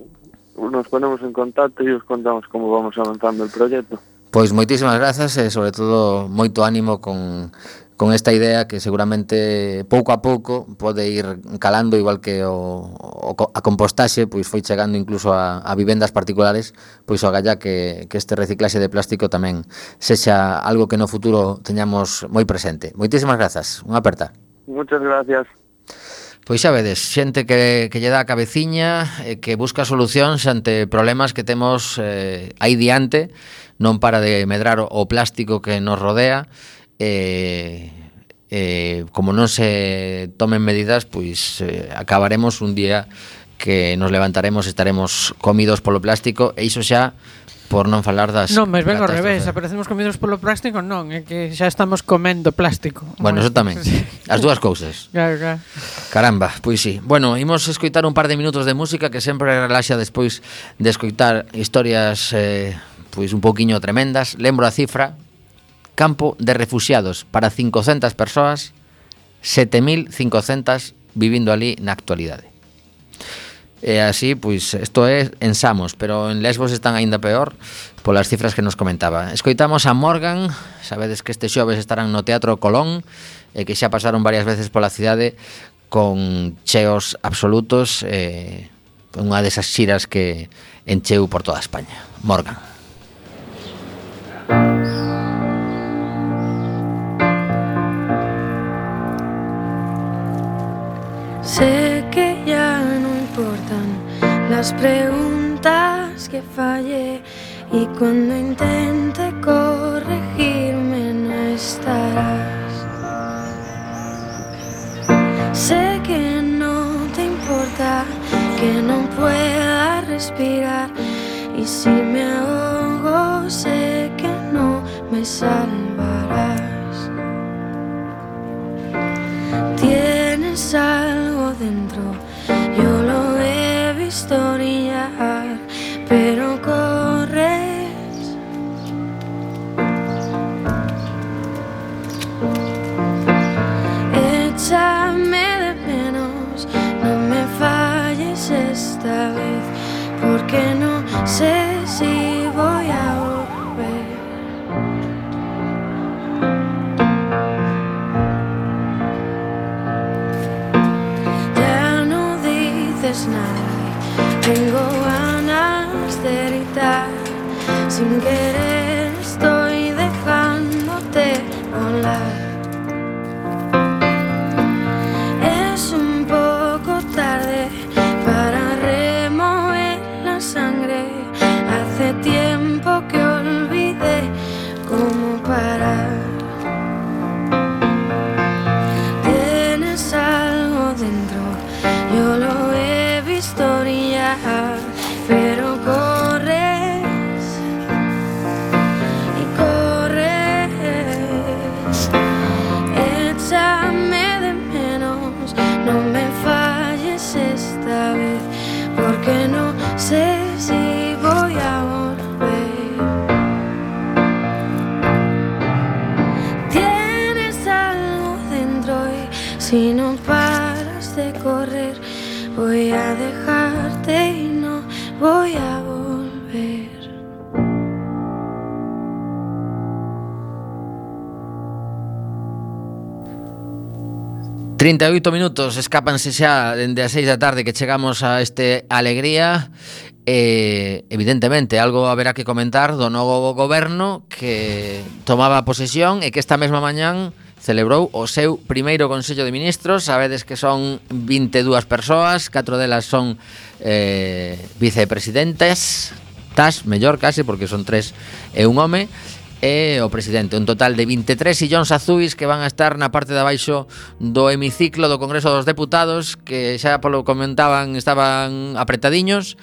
nos ponemos en contacto e os contamos como vamos avanzando el proyecto.
Pois moitísimas grazas e sobre todo moito ánimo con con esta idea que seguramente pouco a pouco pode ir calando, igual que o, o a compostaxe pois foi chegando incluso a, a vivendas particulares, pois o agalla que, que este reciclaxe de plástico tamén sexa algo que no futuro teñamos moi presente. Moitísimas grazas, unha aperta.
Muchas gracias.
Pois xa vedes, xente que, que lle dá a cabeciña e que busca solucións ante problemas que temos eh, aí diante, non para de medrar o plástico que nos rodea. Eh, eh, como non se tomen medidas, pois eh, acabaremos un día que nos levantaremos e estaremos comidos polo plástico, e iso xa por non falar das...
Non, mas ben ao revés, aparecemos comidos polo plástico, non, é que xa estamos comendo plástico.
Bueno, eso tamén, as dúas cousas.
Claro, claro.
Caramba, pois sí. Bueno, imos escoitar un par de minutos de música que sempre relaxa despois de escoitar historias eh, pois un pouquiño tremendas. Lembro a cifra: campo de refugiados para cincocentas persoas, sete mil cincocentas vivindo ali na actualidade. E así, pois, isto é en Samos, pero en Lesbos están aínda peor polas cifras que nos comentaba. Escoitamos a Morgan, sabedes que este xoves estarán no Teatro Colón e que xa pasaron varias veces pola cidade con cheos absolutos, eh, unha desas xiras que encheu por toda España. Morgan.
Sé que ya no importan las preguntas cuentas que fallé y cuando intente corregirme no estarás. Sé que no te importa que no pueda respirar y si me ahogo sé que no me salvarás. Tienes algo dentro, yo lo he visto brillar, pero corres. Échame de menos, no me falles esta vez, porque no sé si voy a volver. Ya no dices nada, tengo ganas de gritar, sin querer estoy dejándote volar. Es un poco tarde para remover la sangre, hace tiempo que olvidé cómo parar. Tienes algo dentro, yo lo he visto brillar, pero corres y corres. Échame de menos, no me falles esta vez, porque no sé si voy a volver. Tienes algo dentro y si no paras de correr voy a dejarte y no voy a volver.
trinta e oito minutos, escápanse xa dende as seis da tarde que chegamos a este Alegría. Eh, evidentemente, algo haberá que comentar do novo goberno que tomaba posesión e que esta mesma mañán celebrou o seu primeiro Consello de Ministros. Sabedes que son vinte e dúas persoas, catro delas son eh, vicepresidentes, tas, mellor case, porque son tres e un home, e o presidente, un total de vinte e tres sillóns azuis que van a estar na parte de abaixo do hemiciclo do Congreso dos Deputados, que xa polo comentaban estaban apretadiños,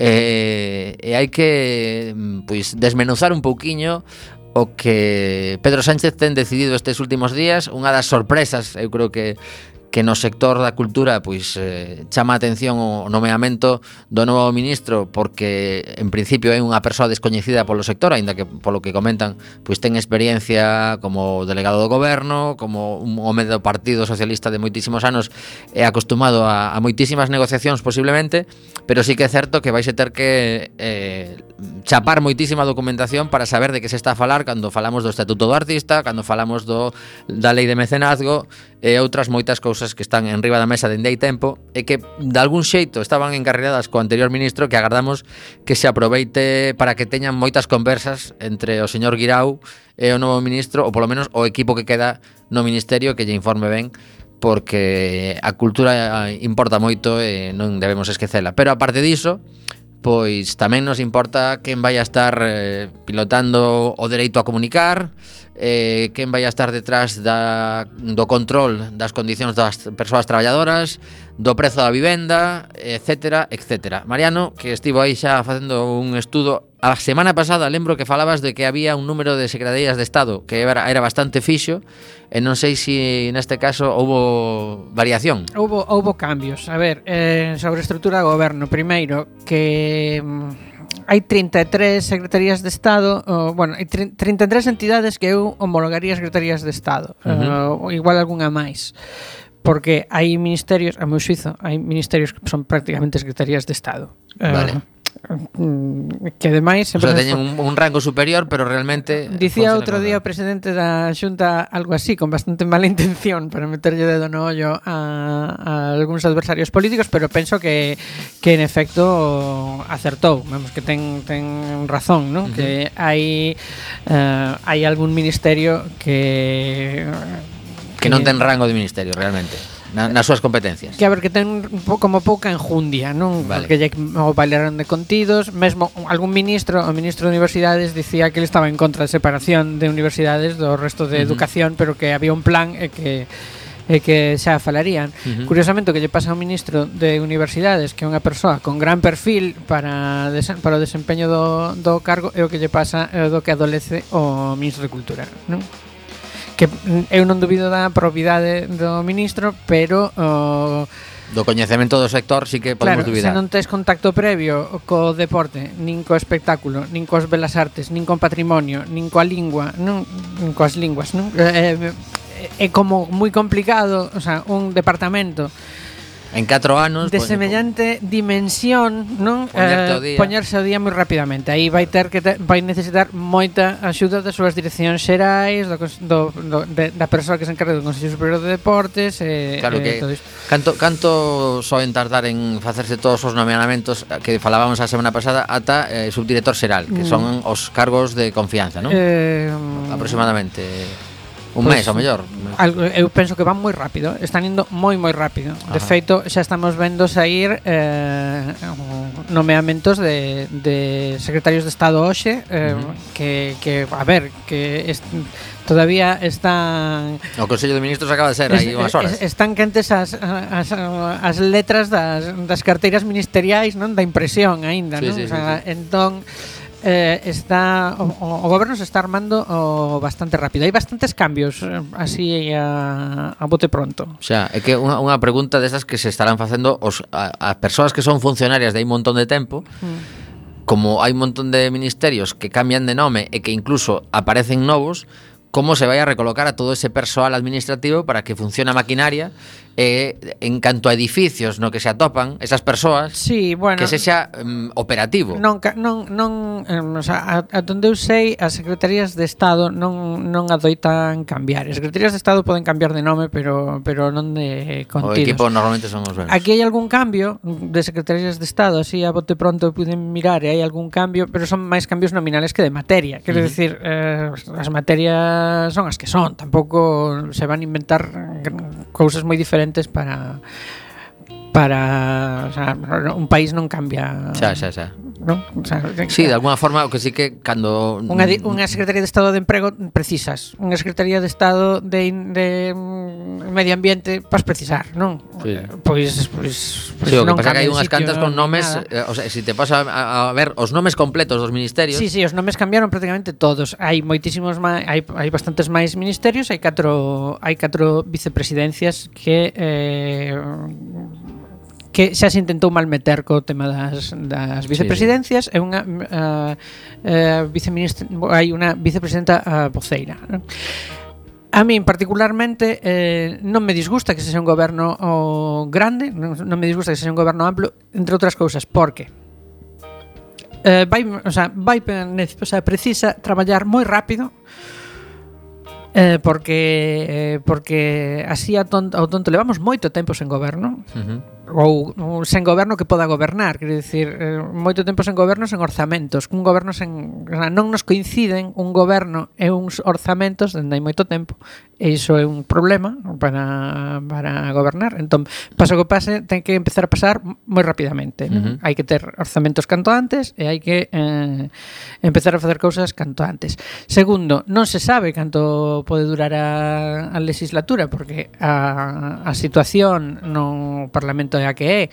e, e hai que pois desmenuzar un pouquiño o que Pedro Sánchez ten decidido estes últimos días. Unha das sorpresas, eu creo que que no sector da cultura pois eh, chama a atención o nomeamento do novo ministro, porque en principio é unha persoa descoñecida polo sector, aínda que polo que comentan pois ten experiencia como delegado do goberno, como un home do Partido Socialista de moitísimos anos, é acostumado a, a moitísimas negociacións posiblemente, pero sí que é certo que vais a ter que eh, chapar moitísima documentación para saber de que se está a falar cando falamos do Estatuto do Artista, cando falamos do da Lei de Mecenazgo e outras moitas cousas que están en riba da mesa dende hai tempo e que de algún xeito estaban encarregadas co anterior ministro, que agardamos que se aproveite para que teñan moitas conversas entre o señor Guirao e o novo ministro, ou polo menos o equipo que queda no ministerio, que lle informe ben, porque a cultura importa moito e non debemos esquecela. Pero aparte diso, pois tamén nos importa quen vai a estar eh, pilotando o dereito a comunicar, eh, quen vai a estar detrás da, do control das condicións das persoas traballadoras, do prezo da vivenda, etcétera, etcétera. Mariano, que estivo aí xa facendo un estudo a semana pasada, lembro que falabas de que había un número de secretarías de Estado que era, era bastante fixo, e non sei se neste caso houbo variación.
Houbo, houbo cambios. A ver, eh, sobre a estrutura do goberno, primeiro, que mm, hai trinta e tres secretarías de Estado, oh, bueno, hai trinta e tres entidades que eu homologaría secretarías de Estado, uh-huh. uh, igual algunha máis, porque hai ministerios, a meu xuizo, hai ministerios que son prácticamente secretarías de Estado.
Vale.
Uh, que ademais
o sea, teñen un, un rango superior, pero realmente
dicía outro día o presidente da Xunta algo así, con bastante mala intención, para meterlle dedo no ollo a, a algúns adversarios políticos, pero penso que que en efecto acertou, vamos, que ten ten razón, ¿no? Uh-huh. Que hai uh, hai algún ministerio que
que non ten rango de ministerio realmente. na, nas súas competencias.
Que a ver, que ten un po, como pouca enjundia, non?
Vale.
Porque lle o bailaron de contidos. Mesmo algún ministro, o ministro de Universidades dicía que ele estaba en contra da separación de universidades do resto de uh-huh. educación, pero que había un plan e que e que xa falarían. Uh-huh. Curiosamente, o que lle pasa ao ministro de Universidades, que é unha persoa con gran perfil para, desen, para o desempeño do, do cargo, é o que lle pasa é do que adolece o ministro de Cultura, non? Que eu non dubido da probidade do ministro, pero o
do coñecemento do sector sí que podemos
claro,
dubidar.
Se non tes contacto previo co deporte, nin co espectáculo, nin coas belas artes, nin con patrimonio, nin coa lingua, non, nin coas linguas, non? Eh, é como moi complicado, o sea, un departamento
en catro anos
de semellante dimensión, non? Eh, poñerse ao día moi rapidamente. Aí vai ter que te, vai necesitar moita axuda das súas direccións xerais, do, do, do de, da persoa que se encarga do Consello Superior de Deportes, e eh,
claro que
eh, todo isto.
Canto canto soen tardar en facerse todos os nomeamentos que falábamos a semana pasada ata eh, subdirector xeral, que son os cargos de confianza, non? Eh, aproximadamente un pues, mes, ao mellor.
Algo, eu penso que van moi rápido. Están indo moi, moi rápido. De Ajá. feito, xa estamos vendo sair eh, nomeamentos de, de secretarios de Estado hoxe eh, uh-huh. que, que, a ver, que est, todavía están...
O Consello de Ministros acaba de ser aí unhas horas.
Están quentes as, as, as letras das, das carteiras ministeriais, non? Da impresión aínda,
sí,
non?
Sí,
o sea,
sí, sí.
entón... Eh, está o, o goberno se está armando o bastante rápido. Hai bastantes cambios eh, así a, a bote pronto.
Xa, é que unha, unha pregunta desas que se estarán facendo os, a, as persoas que son funcionarias de hai un montón de tempo, mm. como hai un montón de ministerios que cambian de nome e que incluso aparecen novos, como se vai a recolocar a todo ese persoal administrativo para que funcione a maquinaria e en canto a edificios no que se atopan esas persoas,
sí, bueno,
que se xa um, operativo.
Non non non, um, o sea, a, a donde eu sei, as secretarías de Estado non non adoitan cambiar. As secretarías de Estado poden cambiar de nome, pero pero non de contidos.
O equipo normalmente son os mesmos.
Aquí hai algún cambio de secretarías de Estado, así a bote pronto puiden mirar, e hai algún cambio, pero son máis cambios nominales que de materia. Quero uh-huh. decir, eh, as materias son as que son, tampouco se van a inventar cousas moi diferentes para para, o sea, un país non cambia.
Xa, xa, xa.
¿No? O sea,
sí, de alguna forma, o que sí que cando
unha, unha Secretaría de Estado de Emprego precisas, unha Secretaría de Estado de, de Medio Ambiente vas precisar, non?
Sí.
Pois, pois, pois
sí, o que
non
pasa que hai unhas
sitio,
cantas con nomes, eh, o sea, se si te pasa a, a ver os nomes completos dos ministerios.
Sí, sí, os nomes cambiaron prácticamente todos. Hai moitísimos máis, hai hai bastantes máis ministerios, hai catro hai catro vicepresidencias que eh que xa se intentou malmeter co tema das, das vicepresidencias, sí, sí. É unha uh, uh, viceministra, hai unha vicepresidenta uh, voceira. A min particularmente eh, non me disgusta que sexa un goberno oh, grande, non, non me disgusta que sexa un goberno amplo, entre outras cousas, porque eh, vai, o sea, vai, o sea, precisa traballar moi rápido. Eh, porque eh, porque así a tonto, ao tonto levamos moito tempo sen goberno. Uh-huh. Ou, ou sen goberno que poda gobernar, quero dicir, eh, moito tempo sen goberno, sen orzamentos, un goberno sen, non nos coinciden un goberno e uns orzamentos dende hai moito tempo, e iso é un problema para, para gobernar. Entón, paso que pase, ten que empezar a pasar moi rapidamente, uh-huh. Hai que ter orzamentos canto antes e hai que eh, empezar a facer cousas canto antes. Segundo, non se sabe canto pode durar a, a legislatura, porque a, a situación no Parlamento é a que é,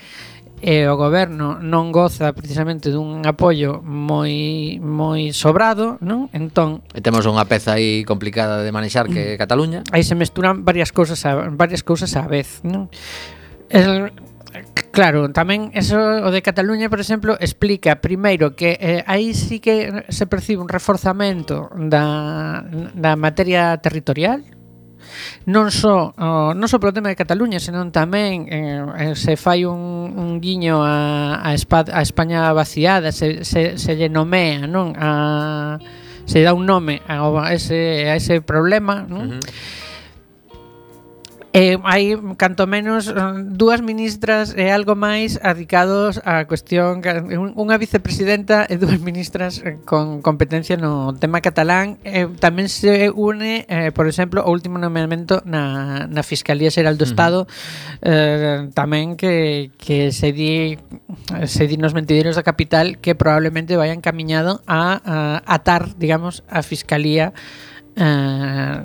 e o goberno non goza precisamente dun apoio moi moi sobrado, non? Entón,
e temos unha peza aí complicada de manexar que é Cataluña.
Aí se mesturan varias cousas a, varias cousas á vez, non? El, claro, tamén eso o de Cataluña, por exemplo, explica primeiro que eh, aí sí que se percibe un reforzamento da da materia territorial. Non só oh, non só polo tema de Cataluña, senón tamén eh, se fai un, un guiño a, a, Espa, a España vaciada, se, se, se lle nomea, non? A, se dá un nome a ese, a ese problema, non? Uh-huh. Eh, hai canto menos dúas ministras e algo máis adicados á cuestión, unha vicepresidenta e dúas ministras con competencia no tema catalán. Eh, tamén se une, eh, por exemplo, o último nomeamento na, na Fiscalía Xeral do Estado, uh-huh. eh, tamén que, que se di se di nos mentideiros da capital que probablemente vaya encaminhado a, a atar, digamos, a Fiscalía Uh,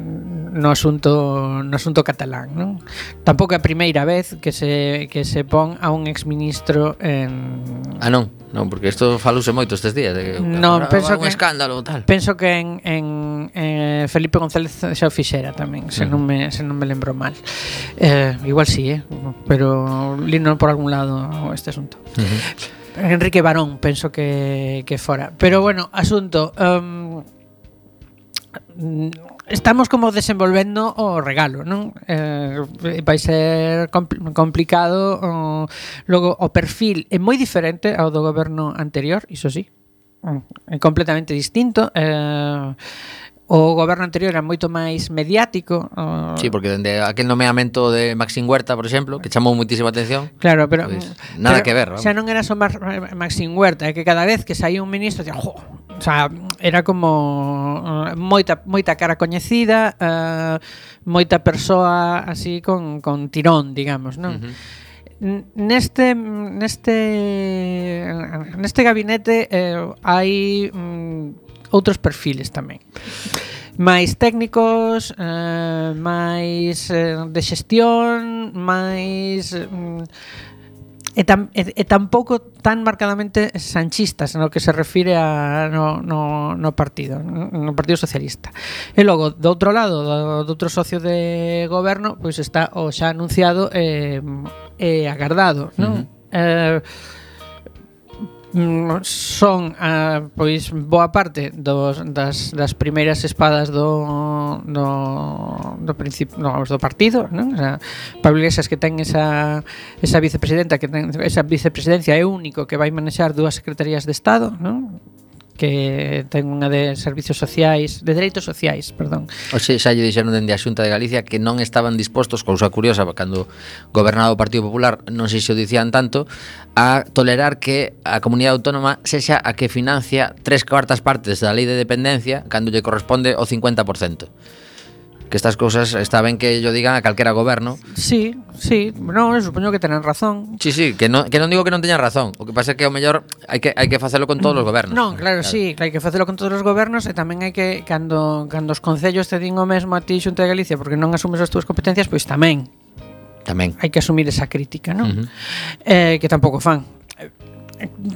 no asunto no asunto catalán, non? Tampouco é a primeira vez que se que se pon a un exministro en
Ah, non, non, porque isto falouse moito estes días de que
non, penso
un
que
escándalo tal.
Penso que en, en eh, Felipe González xa o fixera tamén, se non me se non me lembro mal. Eh, igual si, sí, eh, pero lino por algún lado este asunto. Uh-huh. Enrique Barón, penso que que fora. Pero bueno, asunto um, estamos como desenvolvendo o regalo, non? Eh, vai ser compl- complicado o, logo o perfil é moi diferente ao do goberno anterior, iso sí, é completamente distinto. eh, O goberno anterior era moito máis mediático. Uh...
Sí, porque dende aquel nomeamento de Maxim Huerta, por exemplo, que chamou muitísima atención.
Claro, pero
pues, nada
pero,
que ver, ¿no?
Xa non era só Mar- Maxim Huerta, é que cada vez que saía un ministro, decía, jo, o sea, era como uh, moita moita cara coñecida, uh, moita persoa así con con tirón, digamos, non? Uh-huh. Neste neste neste gabinete eh, hai mm, outros perfiles tamén, máis técnicos, eh, máis eh, de xestión, máis mm, e, tam, e, e tampouco tan marcadamente sanchistas no que se refire a no, no, no partido no Partido Socialista. E logo, do outro lado, do, do outro socio de goberno, pois está o xa anunciado e eh, eh, agardado, non? Uh-huh. Eh, son uh, pois boa parte dos, das, das primeiras espadas do do, do principio no, do partido, non? O sea, Pablo Iglesias, que ten esa esa vicepresidenta, que ten esa vicepresidencia, é o único que vai manexar dúas secretarías de Estado, non? Que ten unha de servicios sociais, de dereitos sociais, perdón.
Oxe, xa lle dixeron dende a Xunta de Galicia que non estaban dispostos, cousa curiosa, cando gobernaba o Partido Popular, non sei se o dicían tanto, a tolerar que a comunidade autónoma sexa a que financia tres cuartas partes da lei de dependencia cando lle corresponde o cincuenta por cento. Que estas cousas está ben que yo digan a calquera goberno.
Sí, sí, no, supoño que tenen razón.
Sí, sí, que non, que non digo que non teñan razón. O que pasa é que ao mellor hai que hai que facelo con todos os gobernos.
Non, claro, claro, sí, hai que facelo con todos os gobernos e tamén hai que cando cando os concellos te din o mesmo a ti, Xunta de Galicia, porque non asumes as túas competencias, pois tamén.
Tamén.
Hai que asumir esa crítica, non?
Uh-huh.
Eh, que tampouco fan.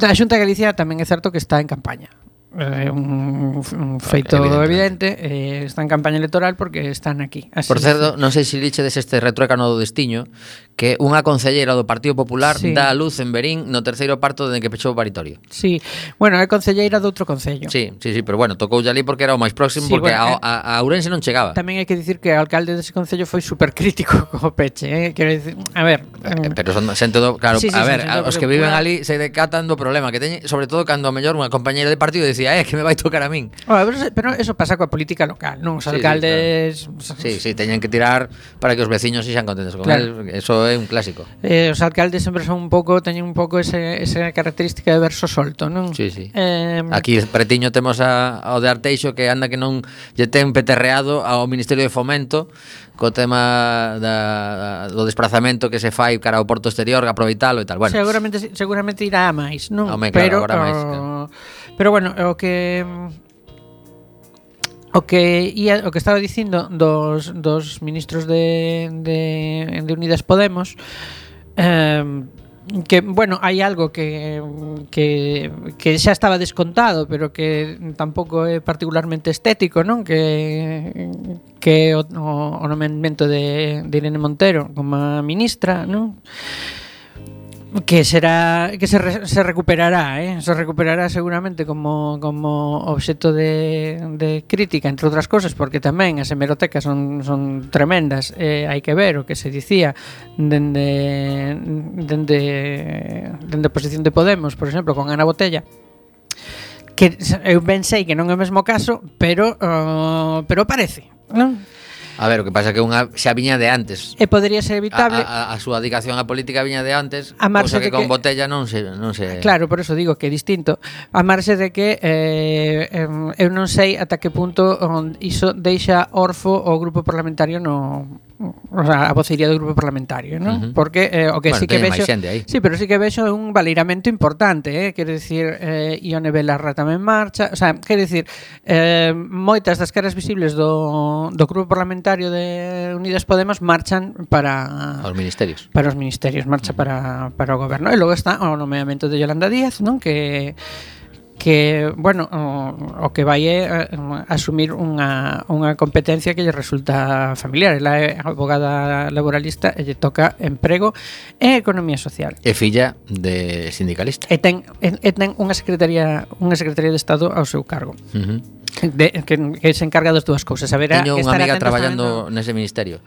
A Xunta de Galicia tamén é certo que está en campaña. É eh, un, un feito evidente, eh, está en campaña electoral porque están aquí. Así.
Por certo, non sei se lichedes este retruécano do destiño, que unha concelleira do Partido Popular sí. dá a luz en Verín no terceiro parto dende que pechou o paritorio.
Sí, bueno, é concelleira de outro concello.
Sí, sí, sí, pero bueno, tocoulle ali porque era o máis próximo, sí, porque bueno, a, a, a Ourense non chegaba.
Tamén hai que dicir que o alcalde dese concello foi supercrítico co peche, eh? Quero dicir, a ver,
eh, pero son xente do, claro,
sí, sí,
a ver,
sí,
os que viven ali se decatan do problema que teñen, sobre todo cando a mellor unha compañeira de partido dicía, eh, que me vai tocar a min.
Oh, pero, pero eso pasa coa política local, non? Os alcaldes...
Sí, sí, claro. Sí, sí, teñen que tirar para que os veciños sexan contentos con claro. él, eso é un clásico.
Eh, os alcaldes sempre son un pouco, teñen un pouco ese, esa característica de verso solto, non?
Sí, sí.
Eh,
Aquí pretiño temos a, ao de Arteixo que anda que non lle ten peterreado ao Ministerio de Fomento co tema da, do desplazamento que se fai cara ao porto exterior, aproveitalo e tal. Bueno,
seguramente seguramente irá a máis, non?
Home, claro,
pero
agora máis,
o,
claro.
Pero bueno, o que o que ia, o que estaba dicindo dos, dos ministros de, de, de Unidas Podemos, eh, que, bueno, hai algo que, que, que xa estaba descontado, pero que tampouco é particularmente estético, non? Que que o, o nomeamento de, de Irene Montero como ministra, non? Que será que se, re, se recuperará, eh? Se recuperará seguramente como como obxecto de, de crítica, entre outras cosas, porque tamén as hemerotecas son son tremendas, eh, hai que ver o que se dicía dende dende dende a posición de Podemos, por exemplo, con Ana Botella, que eu ben sei que non é o mesmo caso, pero uh, pero parece, non?
A ver, o que pasa é que unha xa viña de antes.
E podería ser evitable.
A, a, a súa dedicación á política viña de antes,
A marxe
cosa que,
de
con
que-
botella non se non se
Claro, por eso digo que é distinto. A marxe de que eh, em, eu non sei ata que punto on, iso deixa orfo o grupo parlamentario no, o sea, a vocería do grupo parlamentario, non?
Ujú.
Porque eh, o que
Bueno,
sí que
teñen máis
vexo,
xente aí.
sí, pero sí que vexo un valeiramento importante, eh, quero dicir, eh, Ione Belarra tamén marcha, o sea, quero dicir, eh, moitas das caras visibles do, do grupo parlamentario de Unidas Podemos marchan para
aos ministerios.
para os ministerios, marcha para, para o goberno. E logo está o nomeamento de Yolanda Díaz, non? Que que, bueno, o, o que vai é uh, asumir unha, unha competencia que lle resulta familiar. Ela é abogada laboralista e lle toca emprego e economía social.
É filla de sindicalista.
E ten, e, e ten unha secretaría unha secretaría de Estado ao seu cargo.
Uh -huh.
De, que, que se encarga das dúas cousas. A ver,
Teño unha
estar
amiga
atentos
traballando
tamén, no?
nese ministerio.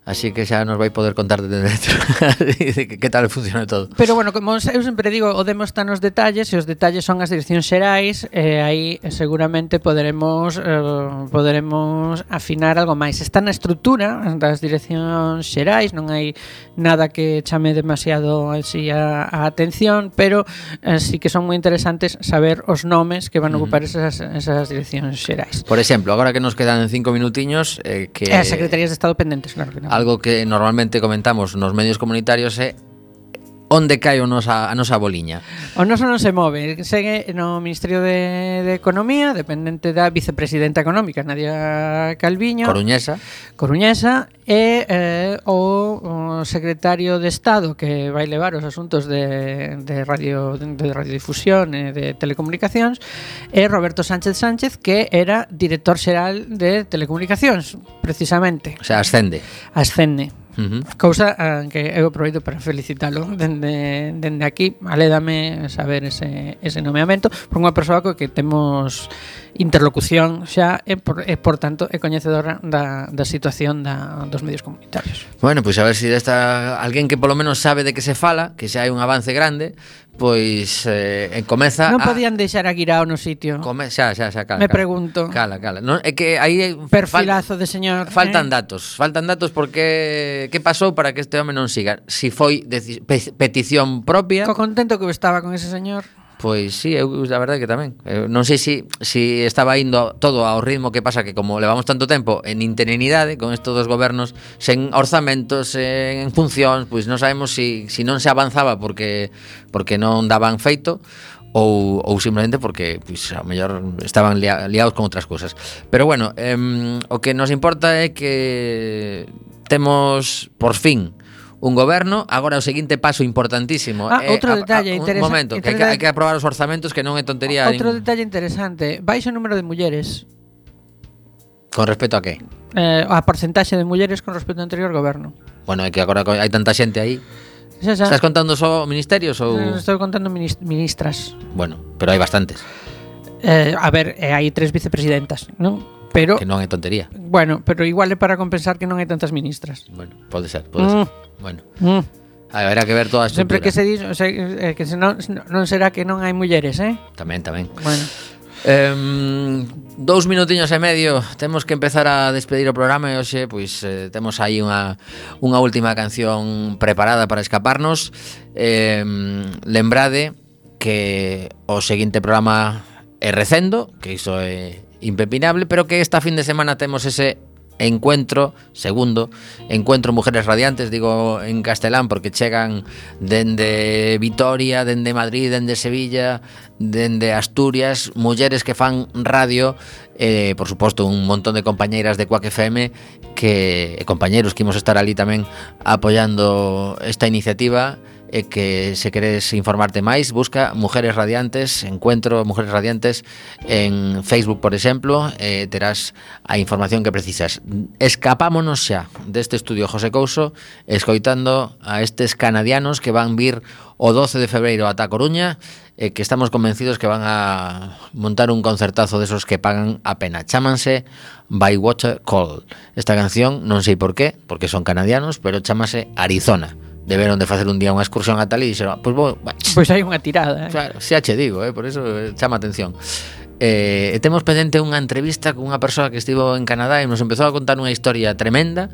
Así que xa nos vai poder contar de dentro de que, que tal funciona todo.
Pero bueno, como eu sempre digo, o demo está nos detalles e os detalles son as direccións xerais e aí seguramente poderemos eh, poderemos afinar algo máis. Está na estrutura das direccións xerais, non hai nada que chame demasiado así a, a atención, pero eh, sí que son moi interesantes saber os nomes que van a ocupar esas, esas direccións xerais.
Por exemplo, agora que nos quedan cinco minutiños eh, que
E as secretarías de Estado pendentes, claro que non.
algo que normalmente comentamos nos medios comunitarios é onde cae o nosa, a nosa boliña.
O noso non se move, segue no Ministerio de, de Economía, dependente da vicepresidenta económica, Nadia Calviño,
Coruñesa.
Coruñesa, e eh, o, o secretario de Estado que vai levar os asuntos de, de, radio, de radiodifusión e de telecomunicacións é Roberto Sánchez Sánchez, que era director xeral de telecomunicacións, precisamente.
O sea, ascende.
Ascende.
Uh -huh.
Cousa uh, que eu aproveito para felicitalo dende, dende aquí. Alédame saber ese, ese nomeamento por unha persoa co que temos interlocución xa e por, e por tanto é coñecedora da, da situación da, dos medios comunitarios.
Bueno, pois pues a ver se si desta alguén que polo menos sabe de que se fala, que xa hai un avance grande, pois eh, comeza
Non
a...
podían deixar a Guirao no sitio.
Come, xa, xa, xa, cala,
Me
cala.
pregunto.
Cala, cala. Non, é que aí
Perfilazo de señor.
Faltan
eh?
datos, faltan datos porque que pasou para que este home non siga. Si foi deci- pe- petición propia,
Co contento que eu estaba con ese señor.
pois sí, eu a verdade que tamén. Eu non sei si si estaba indo todo ao ritmo que pasa que como levamos tanto tempo en interinidade con estos dos gobernos sen orzamentos, en funcións, pois non sabemos si si non se avanzaba porque porque non daban feito ou, ou simplemente porque pois, ao mellor estaban lia, liados con outras cousas. Pero bueno, eh, o que nos importa é que temos, por fin, un goberno. Agora o seguinte paso importantísimo
Ah,
é,
outro
a- a-
detalle
un
interesa-
momento, que hai que, hai que aprobar os orzamentos, que non é tontería
Outro
nin-
detalle interesante, baixo número de mulleres.
con respecto a que.
Eh, a porcentaxe de mulleres con respecto ao anterior goberno.
Bueno, é que agora hai tanta xente aí.
Xa, xa.
Estás contando só ministerios ou
Eh, Estou contando minis- ministras.
bueno, pero hai bastantes,
Eh, a ver, eh, hai tres vicepresidentas, non? Pero
que non é tontería.
bueno, pero igual é para compensar que non hai tantas ministras.
Bueno, pode ser, pode
Mm.
ser. Bueno,
Mm.
haberá que ver toda a
Sempre
estrutura.
que se di, o sea, eh, que se non, non será que non hai mulleres, eh?
Tamén, tamén.
Bueno,
Um, dous minutiños e medio. Temos que empezar a despedir o programa e hoxe pois eh, temos aí unha unha última canción preparada para escaparnos. Eh, lembrade que o seguinte programa é Recendo, que iso é impepinable, pero que esta fin de semana temos ese encuentro, segundo encuentro Mujeres Radiantes, digo en castelán porque chegan dende Vitoria, dende Madrid, dende Sevilla, dende Asturias, mulleres que fan radio, eh, por suposto un montón de compañeiras de Quack F M que, e compañeros que imos estar ali tamén apoiando esta iniciativa. E que se queres informarte máis, busca Mujeres Radiantes, encuentro Mujeres Radiantes en Facebook, por exemplo, e terás a información que precisas. Escapámonos xa deste estudio José Couso escoitando a estes canadianos que van vir o doce de febreiro ata a Coruña e que estamos convencidos que van a montar un concertazo desos que pagan a pena. Chámanse By Water Call. Esta canción, non sei por qué, porque son canadianos, pero chámase Arizona. Deberon de facer un día unha excursión a tal e dixeron, pois pues, vou,
pois hai unha tirada, eh?
claro, xa che digo, eh, por eso eh, chama atención. Eh, e temos pendente unha entrevista con unha persoa que estivo en Canadá e nos empezou a contar unha historia tremenda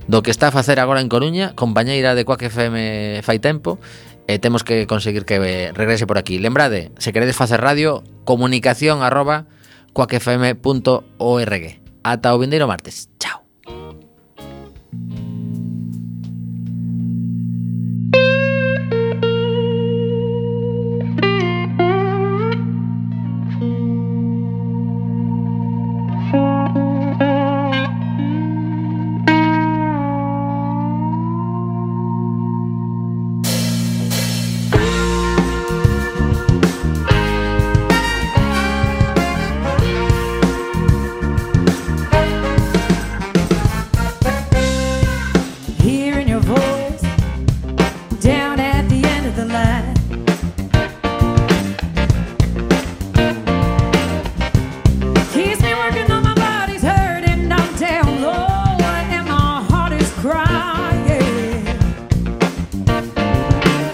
do que está a facer agora en Coruña, compañeira de Quack F M fai tempo, e temos que conseguir que regrese por aquí. Lembrade, se queredes facer radio, comunicación arroba quack f m punto org. Ata o vindeiro martes. Chao.
Hearing your voice down at the end of the line.